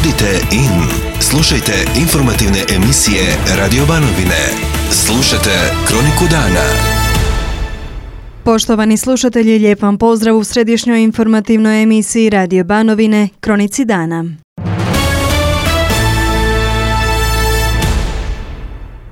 Budite in. Slušajte informativne emisije Radio Banovine. Slušajte Kroniku dana. Poštovani slušatelji, lijep vam pozdrav u središnjoj informativnoj emisiji Radio Banovine, Kronici dana.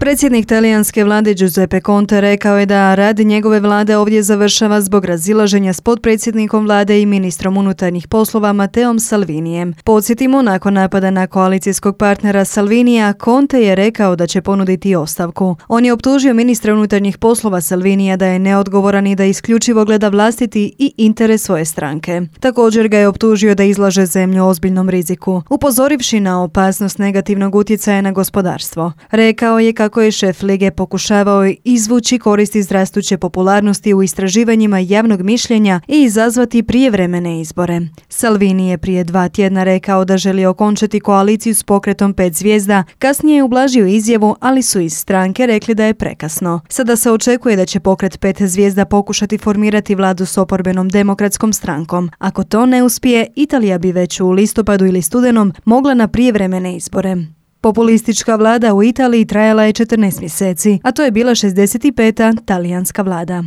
Predsjednik talijanske vlade Giuseppe Conte rekao je da rad njegove vlade ovdje završava zbog razilaženja s potpredsjednikom vlade i ministrom unutarnjih poslova Matteom Salvinijem. Podsjetimo, nakon napada na koalicijskog partnera Salvinija, Conte je rekao da će ponuditi ostavku. On je optužio ministra unutarnjih poslova Salvinija da je neodgovoran i da isključivo gleda vlastiti i interes svoje stranke. Također ga je optužio da izlaže zemlju ozbiljnom riziku, upozorivši na opasnost negativnog utjecaja na gospodarstvo. Rekao je kako je šef lige pokušavao izvući koristi iz rastuće popularnosti u istraživanjima javnog mišljenja i izazvati prijevremene izbore. Salvini je prije 2 tjedna rekao da želi okončati koaliciju s pokretom 5 zvijezda, kasnije je ublažio izjavu, ali su iz stranke rekli da je prekasno. Sada se očekuje da će pokret 5 zvijezda pokušati formirati vladu s oporbenom demokratskom strankom. Ako to ne uspije, Italija bi već u listopadu ili studenom mogla na prijevremene izbore. Populistička vlada u Italiji trajala je 14 mjeseci, a to je bila 65. talijanska vlada.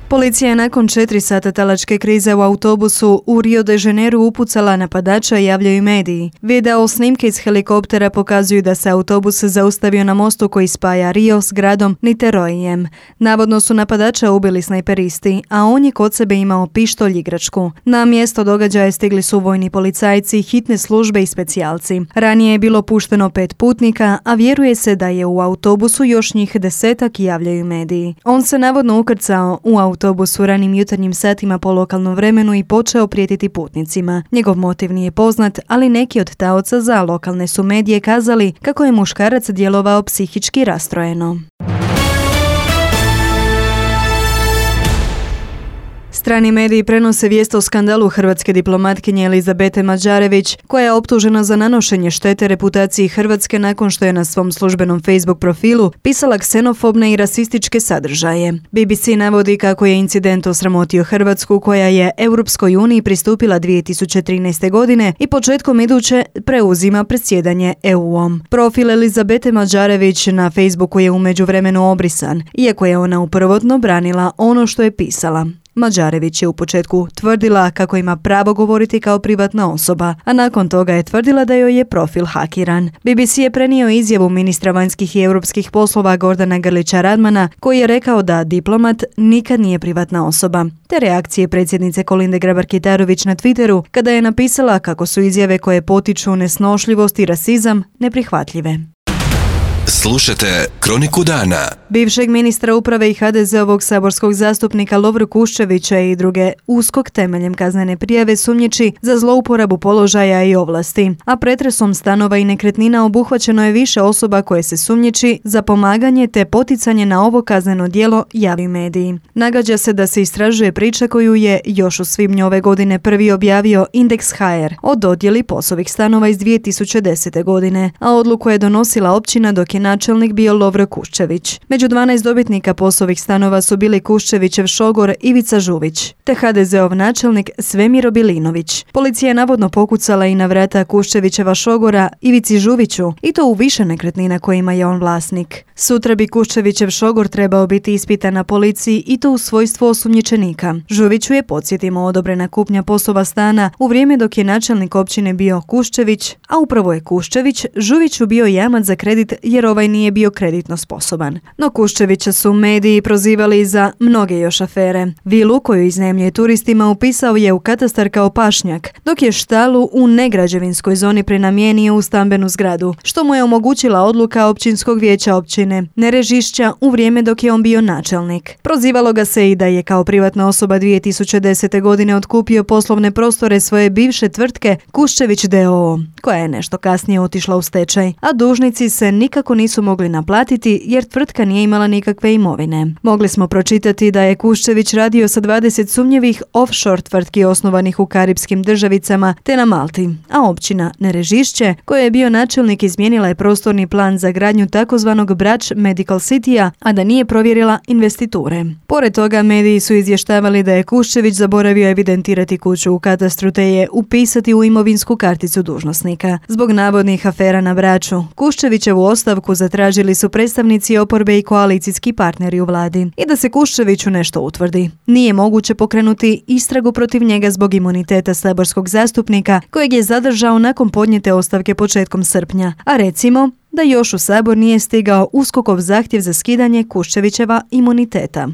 Policija je nakon 4 sata talačke krize u autobusu u Rio de Janeiru upucala napadača, javljaju mediji. Video snimke iz helikoptera pokazuju da se autobus zaustavio na mostu koji spaja Rio s gradom Niteroijem. Navodno su napadača ubili snajperisti, a on je kod sebe imao pištolj igračku. Na mjesto događaja stigli su vojni policajci, hitne službe i specijalci. Ranije je bilo pušteno 5 putnika, a vjeruje se da je u autobusu još njih 10, javljaju mediji. On se navodno ukrcao u autobus u ranim jutarnjim satima po lokalnom vremenu i počeo prijetiti putnicima. Njegov motiv nije poznat, ali neki od taoca za lokalne su medije kazali kako je muškarac djelovao psihički rastrojeno. Strani mediji prenose vijest o skandalu hrvatske diplomatkinje Elizabete Mađarević, koja je optužena za nanošenje štete reputaciji Hrvatske nakon što je na svom službenom Facebook profilu pisala ksenofobne i rasističke sadržaje. BBC navodi kako je incident osramotio Hrvatsku, koja je Europskoj uniji pristupila 2013. godine i početkom iduće preuzima predsjedanje EU-om. Profil Elizabete Mađarević na Facebooku je u međuvremenu obrisan, iako je ona prvotno branila ono što je pisala. Mađarević je u početku tvrdila kako ima pravo govoriti kao privatna osoba, a nakon toga je tvrdila da joj je profil hakiran. BBC je prenio izjavu ministra vanjskih i europskih poslova Gordana Grlića Radmana, koji je rekao da diplomat nikad nije privatna osoba, te reakcije predsjednice Kolinde Grabar-Kitarović na Twitteru kada je napisala kako su izjave koje potiču nesnošljivost i rasizam neprihvatljive. Slušajte Kroniku dana. Bivšeg ministra uprave i HDZ-ovog saborskog zastupnika Lovru Kuščevića i druge USKOK temeljem kaznene prijave sumnjiči za zlouporabu položaja i ovlasti, a pretresom stanova i nekretnina obuhvaćeno je više osoba koje se sumnjiči za pomaganje te poticanje na ovo kazneno djelo, javi mediji. Nagađa se da se istražuje priča koju je još u svibnju ove godine prvi objavio Indeks.hr o dodjeli POS-ovih stanova iz 2010. godine, a odluku je donosila općina dok je načelnik bio Lovro Kuščević. Među 12 dobitnika POS-ovih stanova su bili Kuščevićev šogor Ivica Žuvić, te HDZ-ov načelnik Svemir Bilinović. Policija je navodno pokucala i na vrata Kuščevićeva šogora Ivici Žuviću, i to u više nekretnina kojima je on vlasnik. Sutra bi Kuščevićev šogor trebao biti ispitan na policiji i to u svojstvu osumnjičenika. Žuviću je, podsjetimo, odobrena kupnja POS-ova stana u vrijeme dok je načelnik općine bio Kuščević, a upravo je Kuščević Žuviću bio jamac za kredit jer ovaj nije bio kreditno sposoban. No Kuščevića su mediji prozivali za mnoge još afere. Vilu koju iznajmljuje turistima upisao je u katastar kao pašnjak, dok je štalu u negrađevinskoj zoni prenamijenio u stambenu zgradu, što mu je omogućila odluka općinskog vijeća općine Nerežišća u vrijeme dok je on bio načelnik. Prozivalo ga se i da je kao privatna osoba 2010. godine otkupio poslovne prostore svoje bivše tvrtke Kuščević d.o.o., koja je nešto kasnije otišla u stečaj, a dužnici se nikako nisu nisu mogli naplatiti jer tvrtka nije imala nikakve imovine. Mogli smo pročitati da je Kuščević radio sa 20 sumnjivih offshore tvrtki osnovanih u karipskim državicama te na Malti, a općina Nerežišće, koja je bio načelnik, izmijenila je prostorni plan za gradnju takozvanog Brač Medical Citya, a da nije provjerila investiture. Pored toga, mediji su izvještavali da je Kuščević zaboravio evidentirati kuću u katastru te je upisati u imovinsku karticu dužnosnika. Zbog navodnih afera na Braču, Kuščevićevu ostavku zatražili su predstavnici oporbe i koalicijski partneri u vladi. I da se Kuščeviću nešto utvrdi, nije moguće pokrenuti istragu protiv njega zbog imuniteta saborskog zastupnika kojeg je zadržao nakon podnijete ostavke početkom srpnja, a recimo da još u Sabor nije stigao USKOK-ov zahtjev za skidanje Kuščevićeva imuniteta.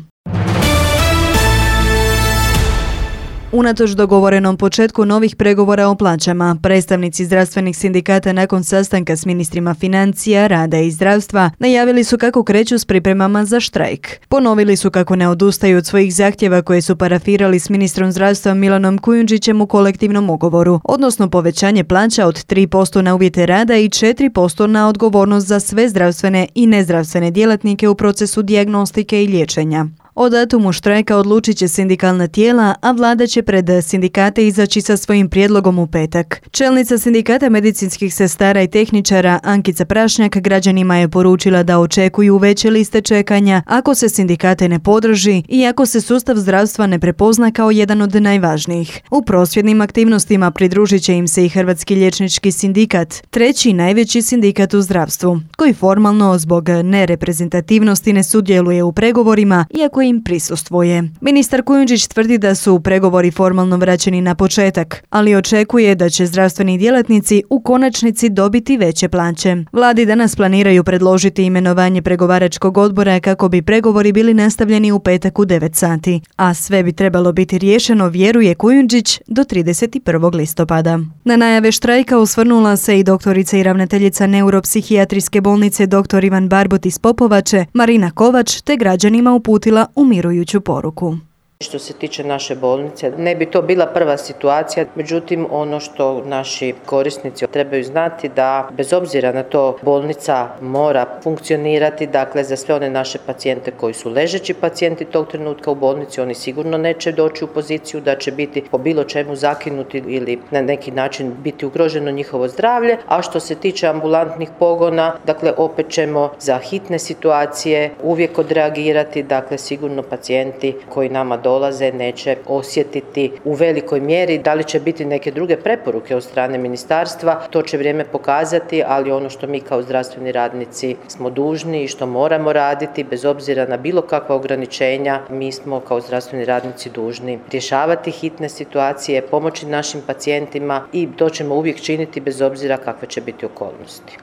Unatoč dogovorenom početku novih pregovora o plaćama, predstavnici zdravstvenih sindikata nakon sastanka s ministrima financija, rada i zdravstva najavili su kako kreću s pripremama za štrajk. Ponovili su kako ne odustaju od svojih zahtjeva koje su parafirali s ministrom zdravstva Milanom Kujundžićem u kolektivnom ugovoru, odnosno povećanje plaća od 3% na uvjete rada i 4% na odgovornost za sve zdravstvene i nezdravstvene djelatnike u procesu dijagnostike i liječenja. O datumu štrajka odlučit će sindikalna tijela, a vlada će pred sindikate izaći sa svojim prijedlogom u petak. Čelnica sindikata medicinskih sestara i tehničara Ankica Prašnjak građanima je poručila da očekuju veće liste čekanja ako se sindikate ne podrži i ako se sustav zdravstva ne prepozna kao jedan od najvažnijih. U prosvjednim aktivnostima pridružit će im se i Hrvatski liječnički sindikat, treći najveći sindikat u zdravstvu, koji formalno zbog nereprezentativnosti ne sudjeluje u pregovorima, iako im prisustvuje. Ministar Kujundžić tvrdi da su pregovori formalno vraćeni na početak, ali očekuje da će zdravstveni djelatnici u konačnici dobiti veće plaće. Vladi danas planiraju predložiti imenovanje pregovaračkog odbora kako bi pregovori bili nastavljeni u petak u 9 sati, a sve bi trebalo biti riješeno, vjeruje Kujundžić, do 31. listopada. Na najave štrajka osvrnula se i doktorica i ravnateljica neuropsihijatrijske bolnice dr. Ivan Barbot iz Popovače, Marina Kovač, te građanima uputila umirujuću poruku. Što se tiče naše bolnice, ne bi to bila prva situacija, međutim ono što naši korisnici trebaju znati da bez obzira na to bolnica mora funkcionirati, dakle za sve one naše pacijente koji su ležeći pacijenti tog trenutka u bolnici, oni sigurno neće doći u poziciju da će biti po bilo čemu zakinuti ili na neki način biti ugroženo njihovo zdravlje, a što se tiče ambulantnih pogona, dakle opet ćemo za hitne situacije uvijek odreagirati, dakle sigurno pacijenti koji nama dolaze neće osjetiti u velikoj mjeri. Da li će biti neke druge preporuke od strane ministarstva, to će vrijeme pokazati, ali ono što mi kao zdravstveni radnici smo dužni i što moramo raditi, bez obzira na bilo kakva ograničenja, mi smo kao zdravstveni radnici dužni rješavati hitne situacije, pomoći našim pacijentima i to ćemo uvijek činiti bez obzira kakve će biti okolnosti.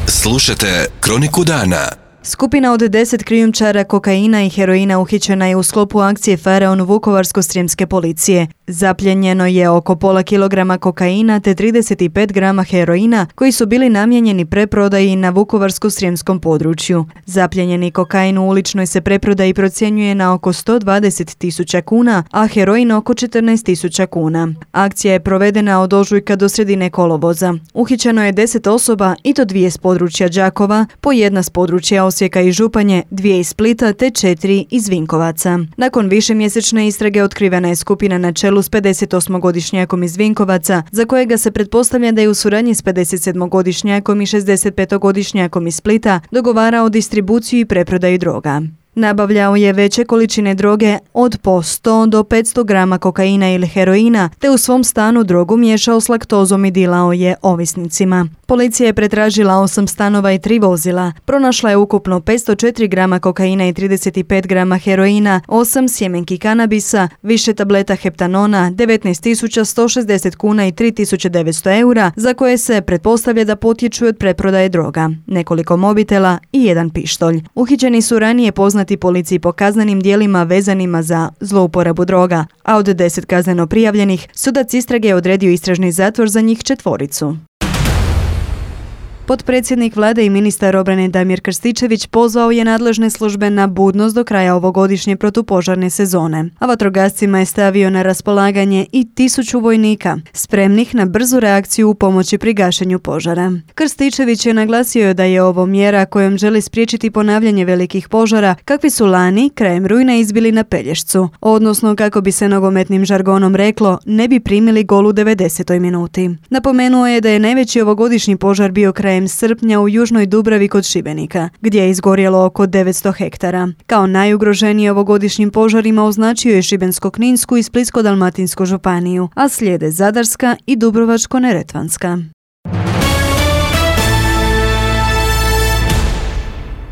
Slušajte Kroniku dana. Skupina od 10 krijumčara kokaina i heroina uhićena je u sklopu akcije Faraon Vukovarsko-srijemske policije. Zapljenjeno je oko pola kilograma kokaina te 35 grama heroina koji su bili namijenjeni preprodaji na Vukovarsko-srijemskom području. Zapljenjeni kokain u uličnoj se preprodaji procjenjuje na oko 120.000 kuna, a heroin oko 14.000 kuna. Akcija je provedena od ožujka do sredine kolovoza. Uhićeno je 10 osoba i to 2 s područja Đakova, po 1 s područja Osijeka i Županje, 2 iz Splita te 4 iz Vinkovaca. Nakon višemjesečne istrage otkrivena je skupina na čelu s 58-godišnjakom iz Vinkovaca, za kojega se pretpostavlja da je u suradnji s 57-godišnjakom i 65-godišnjakom iz Splita dogovarao distribuciju i preprodaju droga. Nabavljao je veće količine droge od po 100 do 500 grama kokaina ili heroina, te u svom stanu drogu miješao s laktozom i dilao je ovisnicima. Policija je pretražila 8 stanova i 3 vozila. Pronašla je ukupno 504 grama kokaina i 35 grama heroina, 8 sjemenki kanabisa, više tableta heptanona, 19.160 kuna i 3.900 eura, za koje se pretpostavlja da potječu od preprodaje droga, nekoliko mobitela i 1 pištolj. Uhićeni su ranije poznati policiji po kaznenim djelima vezanima za zlouporabu droga, a od 10 kazneno prijavljenih sudac istrage je odredio istražni zatvor za njih 4. Potpredsjednik vlade i ministar obrane Damir Krstičević pozvao je nadležne službe na budnost do kraja ovogodišnje protupožarne sezone, a vatrogascima je stavio na raspolaganje i 1000 vojnika, spremnih na brzu reakciju u pomoći pri gašenju požara. Krstičević je naglasio da je ovo mjera kojom želi spriječiti ponavljanje velikih požara kakvi su lani krajem rujna izbili na Pelješcu, odnosno kako bi se nogometnim žargonom reklo, ne bi primili gol u 90. minuti. Napomenuo je da je najveći ovogodišnji požar bio krajem srpnja u Južnoj Dubravi kod Šibenika, gdje je izgorjelo oko 900 hektara. Kao najugroženiji ovogodišnjim požarima označio je Šibensko-kninsku i Splitsko-dalmatinsku županiju, a slijede Zadarska i Dubrovačko-neretvanska.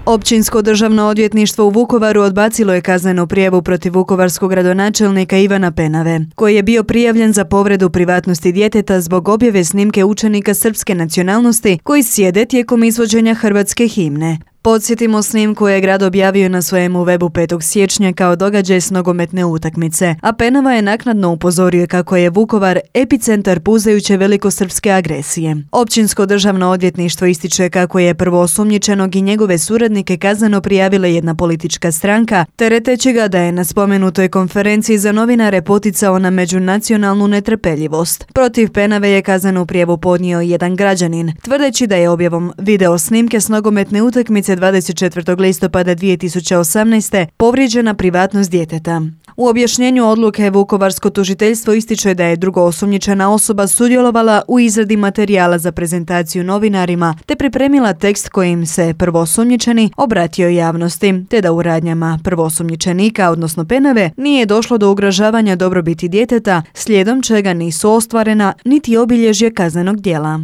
Općinsko državno odvjetništvo u Vukovaru odbacilo je kaznenu prijavu protiv vukovarskog gradonačelnika Ivana Penave, koji je bio prijavljen za povredu privatnosti djeteta zbog objave snimke učenika srpske nacionalnosti koji sjede tijekom izvođenja hrvatske himne. Podsjetimo, snimku je grad objavio na svojemu webu 5. siječnja kao događaj s nogometne utakmice, a Penava je naknadno upozorio kako je Vukovar epicentar puzajuće velikosrpske agresije. Općinsko državno odvjetništvo ističe kako je prvoosumnjičenog i njegove suradnike kazneno prijavila jedna politička stranka, tereteći ga da je na spomenutoj konferenciji za novinare poticao na međunacionalnu netrpeljivost. Protiv Penave je kaznenu prijavu podnio jedan građanin, tvrdeći da je objavom video snimke s nogometne utakmice 24. listopada 2018. povrijeđena privatnost djeteta. U objašnjenju odluke Vukovarsko tužiteljstvo ističe da je drugoosumnjičena osoba sudjelovala u izradi materijala za prezentaciju novinarima te pripremila tekst kojim se prvoosumnjičeni obratio javnosti, te da u radnjama prvoosumnjičenika, odnosno Penave, nije došlo do ugrožavanja dobrobiti djeteta, slijedom čega nisu ostvarena niti obilježje kaznenog djela.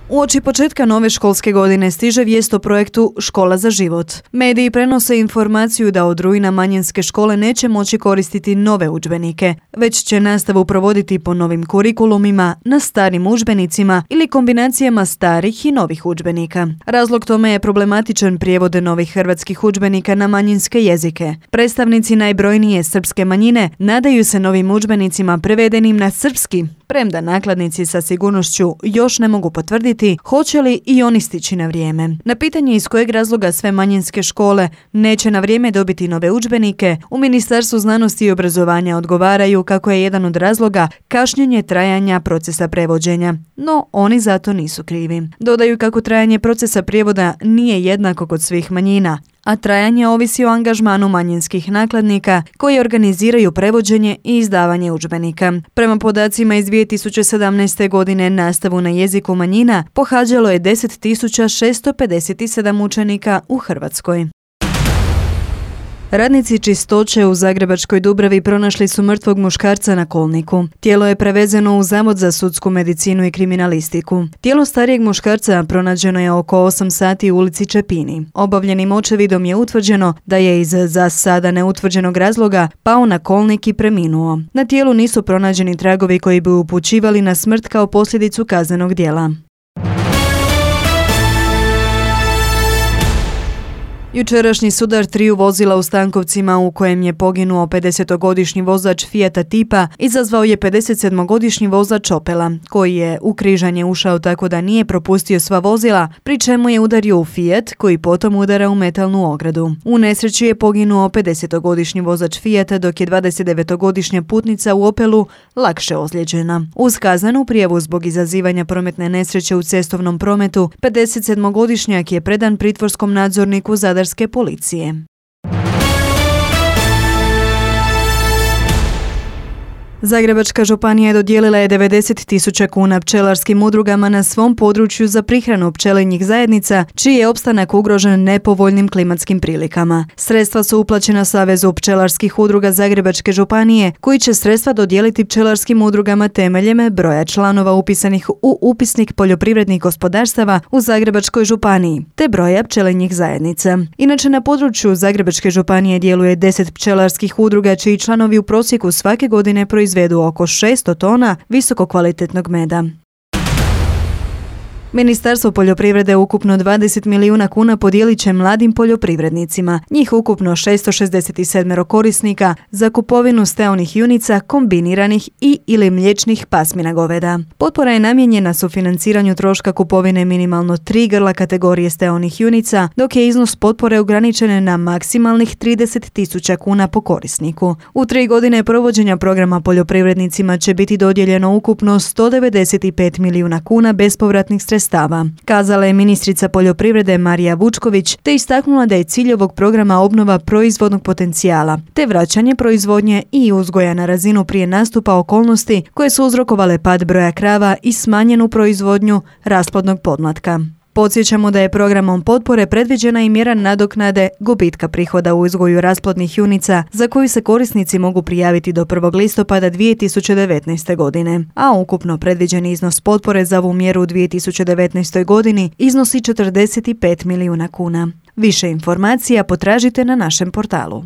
Uoči početka nove školske godine stiže vijest o projektu Škola za život. Mediji prenose informaciju da od rujna manjinske škole neće moći koristiti nove udžbenike, već će nastavu provoditi po novim kurikulumima, na starim udžbenicima ili kombinacijama starih i novih udžbenika. Razlog tome je problematičan prijevod novih hrvatskih udžbenika na manjinske jezike. Predstavnici najbrojnije srpske manjine nadaju se novim udžbenicima prevedenim na srpski, premda nakladnici sa sigurnošću još ne mogu potvrditi hoće li i oni stići na vrijeme. Na pitanje iz kojeg razloga sve manjinske škole neće na vrijeme dobiti nove udžbenike, u Ministarstvu znanosti i obrazovanja odgovaraju kako je jedan od razloga kašnjenje trajanja procesa prevođenja, no oni zato nisu krivi. Dodaju kako trajanje procesa prijevoda nije jednako kod svih manjina, a trajanje ovisi o angažmanu manjinskih nakladnika koji organiziraju prevođenje i izdavanje udžbenika. Prema podacima iz 2017. godine nastavu na jeziku manjina pohađalo je 10.657 učenika u Hrvatskoj. Radnici čistoće u Zagrebačkoj Dubravi pronašli su mrtvog muškarca na kolniku. Tijelo je prevezeno u Zavod za sudsku medicinu i kriminalistiku. Tijelo starijeg muškarca pronađeno je oko 8 sati u ulici Čepini. Obavljenim očevidom je utvrđeno da je iz za sada neutvrđenog razloga pao na kolnik i preminuo. Na tijelu nisu pronađeni tragovi koji bi upućivali na smrt kao posljedicu kaznenog djela. Jučerašnji sudar triju vozila u Stankovcima u kojem je poginuo 50-godišnji vozač Fijata Tipa izazvao je 57-godišnji vozač Opela, koji je u križanje ušao tako da nije propustio sva vozila, pri čemu je udario u Fiat, koji potom udara u metalnu ogradu. U nesreći je poginuo 50-godišnji vozač Fijata, dok je 29-godišnja putnica u Opelu lakše ozlijeđena. Uz kaznenu prijavu zbog izazivanja prometne nesreće u cestovnom prometu, 57-godišnjak je predan pritvorskom nadzorniku Zadarske policije. Zagrebačka županija dodijelila je 90.000 kuna pčelarskim udrugama na svom području za prihranu pčelinjih zajednica, čiji je opstanak ugrožen nepovoljnim klimatskim prilikama. Sredstva su uplaćena Savezu pčelarskih udruga Zagrebačke županije, koji će sredstva dodijeliti pčelarskim udrugama temeljem broja članova upisanih u upisnik poljoprivrednih gospodarstava u Zagrebačkoj županiji, te broja pčelinjih zajednica. Inače, na području Zagrebačke županije djeluje 10 pčelarskih udruga, čiji članovi u prosjeku svake godine proizvedu oko 600 tona visokokvalitetnog meda. Ministarstvo poljoprivrede ukupno 20 milijuna kuna podijelit će mladim poljoprivrednicima. Njih ukupno 667 korisnika za kupovinu steonih junica kombiniranih i ili mliječnih pasmina goveda. Potpora je namijenjena sufinanciranju troška kupovine minimalno 3 grla kategorije steonih junica, dok je iznos potpore ograničen na maksimalnih 30.000 kuna po korisniku. U 3 godine provođenja programa poljoprivrednicima će biti dodijeljeno ukupno 195 milijuna kuna bespovratnih sredstava, kazala je ministrica poljoprivrede Marija Vučković, te istaknula da je cilj ovog programa obnova proizvodnog potencijala, te vraćanje proizvodnje i uzgoja na razinu prije nastupa okolnosti koje su uzrokovale pad broja krava i smanjenu proizvodnju rasplodnog podmlatka. Podsjećamo da je programom potpore predviđena i mjera nadoknade gubitka prihoda u uzgoju rasplodnih junica za koju se korisnici mogu prijaviti do 1. listopada 2019. godine, a ukupno predviđeni iznos potpore za ovu mjeru u 2019. godini iznosi 45 milijuna kuna. Više informacija potražite na našem portalu.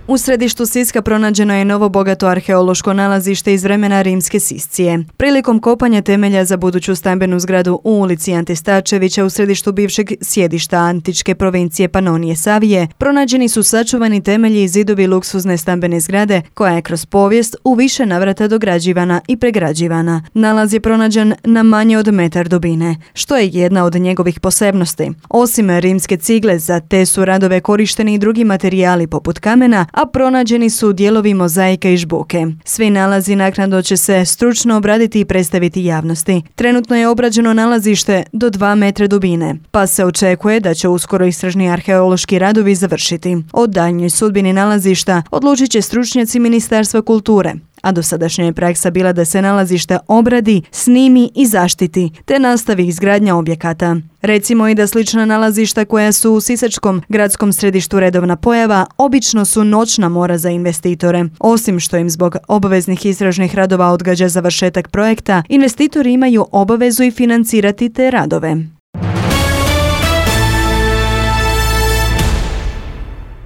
U središtu Siska pronađeno je novo bogato arheološko nalazište iz vremena rimske Siscije. Prilikom kopanja temelja za buduću stambenu zgradu u ulici Ante Starčevića u središtu bivšeg sjedišta antičke provincije Panonije Savije, pronađeni su sačuvani temelji i zidovi luksuzne stambene zgrade koja je kroz povijest u više navrata dograđivana i pregrađivana. Nalaz je pronađen na manje od metar dubine, što je jedna od njegovih posebnosti. Osim rimske cigle, za te su radove korišteni i drugi materijali poput kamena, a pronađeni su dijelovi mozaika i žbuke. Svi nalazi naknadno će se stručno obraditi i predstaviti javnosti. Trenutno je obrađeno nalazište do 2 metra dubine, pa se očekuje da će uskoro istražni arheološki radovi završiti. O daljnjoj sudbini nalazišta odlučit će stručnjaci Ministarstva kulture, a dosadašnja je praksa bila da se nalazište obradi, snimi i zaštiti, te nastavi izgradnja objekata. Recimo i da slična nalazišta koja su u sisačkom gradskom središtu redovna pojava, obično su noćna mora za investitore. Osim što im zbog obaveznih istražnih radova odgađa završetak projekta, investitori imaju obavezu i financirati te radove.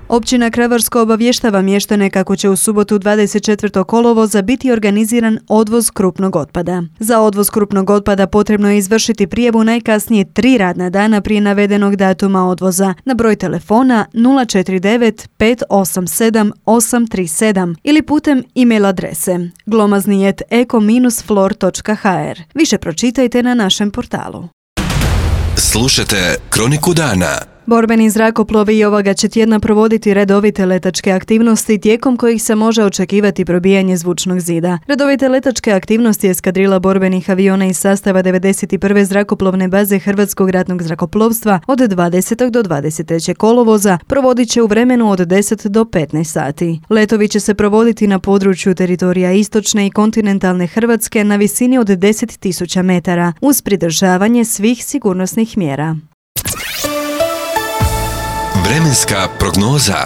Općina Kravarsko obavještava mještane kako će u subotu 24. kolovoza biti organiziran odvoz krupnog otpada. Za odvoz krupnog otpada potrebno je izvršiti prijavu najkasnije 3 radna dana prije navedenog datuma odvoza na broj telefona 049 587 837 ili putem e-mail adrese glomazni@eko-flor.hr. Više pročitajte na našem portalu. Slušajte Kroniku dana. Borbeni zrakoplovi i ovoga će tjedna provoditi redovite letačke aktivnosti tijekom kojih se može očekivati probijanje zvučnog zida. Redovite letačke aktivnosti eskadrila borbenih aviona iz sastava 91. zrakoplovne baze Hrvatskog ratnog zrakoplovstva od 20. do 23. kolovoza provodit će u vremenu od 10 do 15 sati. Letovi će se provoditi na području teritorija istočne i kontinentalne Hrvatske na visini od 10.000 metara uz pridržavanje svih sigurnosnih mjera. Vremenska prognoza.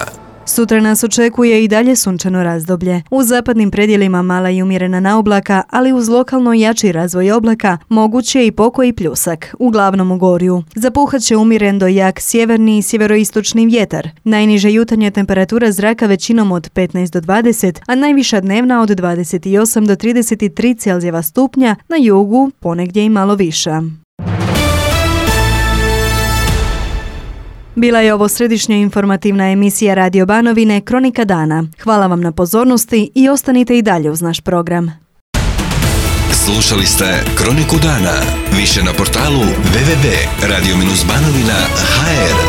Sutra nas očekuje i dalje sunčano razdoblje. U zapadnim predjelima mala i umjerena naoblaka, ali uz lokalno jači razvoj oblaka moguć je i pokoji pljusak, uglavnom u Gorju. Zapuhat će umjeren do jak sjeverni i sjeveroistočni vjetar. Najniža jutarnja temperatura zraka većinom od 15 do 20, a najviša dnevna od 28 do 33 Celzijeva stupnja, na jugu ponegdje i malo viša. Bila je ovo središnja informativna emisija Radio Banovine Kronika dana. Hvala vam na pozornosti i ostanite i dalje uz naš program. Slušali ste Kroniku dana. Više na portalu www.radio-banovina.hr.